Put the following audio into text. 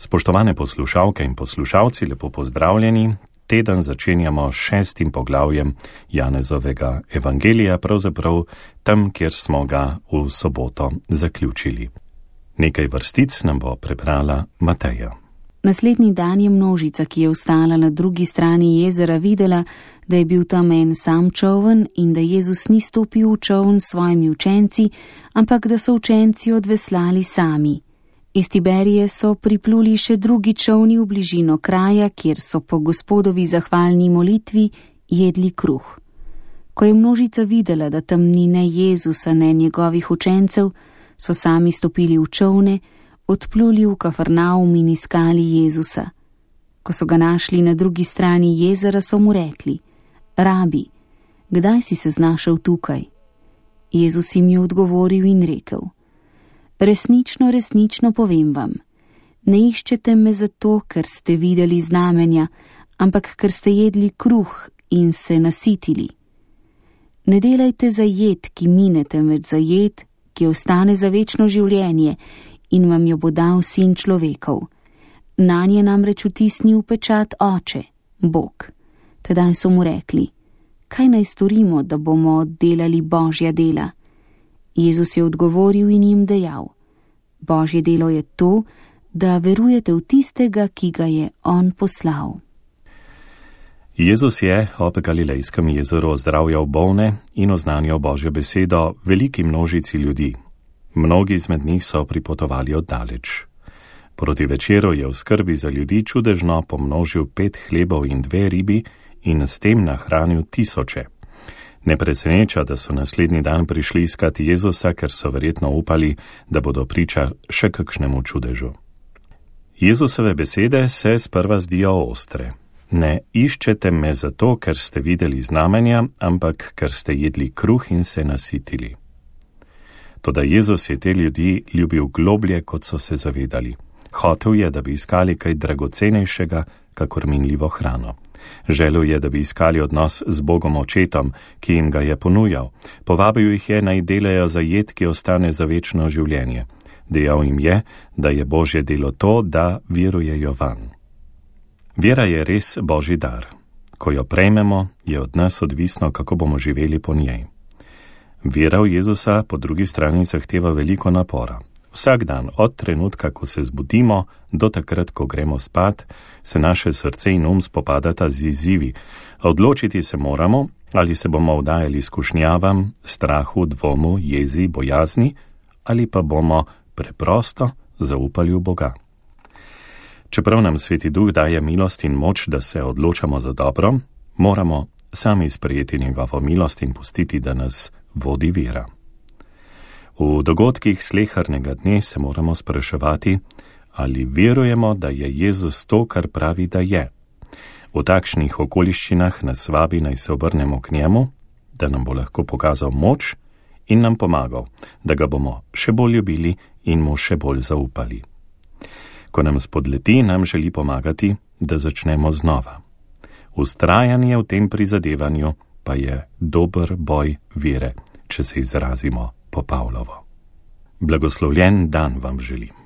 Spoštovane poslušalke in poslušalci, lepo pozdravljeni. Teden začenjamo 6. poglavjem Janezovega evangelija, pravzaprav tam, kjer smo ga v soboto zaključili. Nekaj vrstic nam bo prebrala Mateja. Naslednji dan je množica, ki je ostala na drugi strani jezera, videla, da je bil tam en sam čoln in da Jezus ni stopil v čoln s svojimi učenci, ampak da so učenci odveslali sami. Iz Tiberije so pripluli še drugi čolni v bližino kraja, kjer so po Gospodovi zahvalni molitvi jedli kruh. Ko je množica videla, da tam ni ne Jezusa, ne njegovih učencev, so sami stopili v čolne, odpluli v Kafarnaum in iskali Jezusa. Ko so ga našli na drugi strani jezera, so mu rekli: Rabi, kdaj si se znašel tukaj? Jezus jim je odgovoril in rekel: Resnično, resnično povem vam, ne iščete me zato, ker ste videli znamenja, ampak ker ste jedli kruh in se nasitili. Ne delajte za jed, ki mine, temveč za jed, ki ostane za večno življenje in vam jo bo dal Sin človekov. Nanje namreč vtisnil pečat Oče, Bog. Tedaj so mu rekli: Kaj naj storimo, da bomo delali Božja dela? Jezus je odgovoril in jim dejal: Božje delo je to, da verujete v tistega, ki ga je on poslal. Jezus je ob Galilejskem jezeru ozdravljal bolne in oznanjal Božjo besedo veliki množici ljudi. Mnogi izmed njih so pripotovali oddaleč. Proti večeru je v skrbi za ljudi čudežno pomnožil 5 hlebov in 2 ribi in s tem nahranil tisoče. Ne preseneča, da so naslednji dan prišli iskati Jezusa, ker so verjetno upali, da bodo priča še kakšnemu čudežu. Jezusove besede se sprva zdijo ostre. Ne iščete me zato, ker ste videli znamenja, ampak ker ste jedli kruh in se nasitili. Toda Jezus je te ljudi ljubil globlje, kot so se zavedali. Hotel je, da bi iskali kaj dragocenejšega, kakor minljivo hrano. Želel je, da bi iskali odnos z Bogom Očetom, ki jim ga je ponujal. Povabil jih je, naj delajo za jed, ki ostane za večno življenje. Dejal jim je, da je Božje delo to, da verujejo vanj. Vera je res Božji dar. Ko jo prejmemo, je od nas odvisno, kako bomo živeli po njej. Vera v Jezusa po drugi strani zahteva veliko napora. Vsak dan, od trenutka, ko se zbudimo, do takrat, ko gremo spat, se naše srce in spopadata z izzivi. Odločiti se moramo, ali se bomo vdajali skušnjavam, strahu, dvomu, jezi, bojazni, ali pa bomo preprosto zaupali v Boga. Čeprav nam Sveti Duh daje milost in moč, da se odločamo za dobro, moramo sami sprejeti njegovo milost in pustiti, da nas vodi vera. V dogodkih slehernega dne se moramo spraševati, ali verujemo, da je Jezus to, kar pravi, da je. V takšnih okoliščinah nas vabi, naj se obrnemo k njemu, da nam bo lahko pokazal moč in nam pomagal, da ga bomo še bolj ljubili in mu še bolj zaupali. Ko nam spodleti, nam želi pomagati, da začnemo znova. Vztrajanje v tem prizadevanju pa je dober boj vere, če se izrazimo po Pavlovo. Blagoslovljen dan vam želim.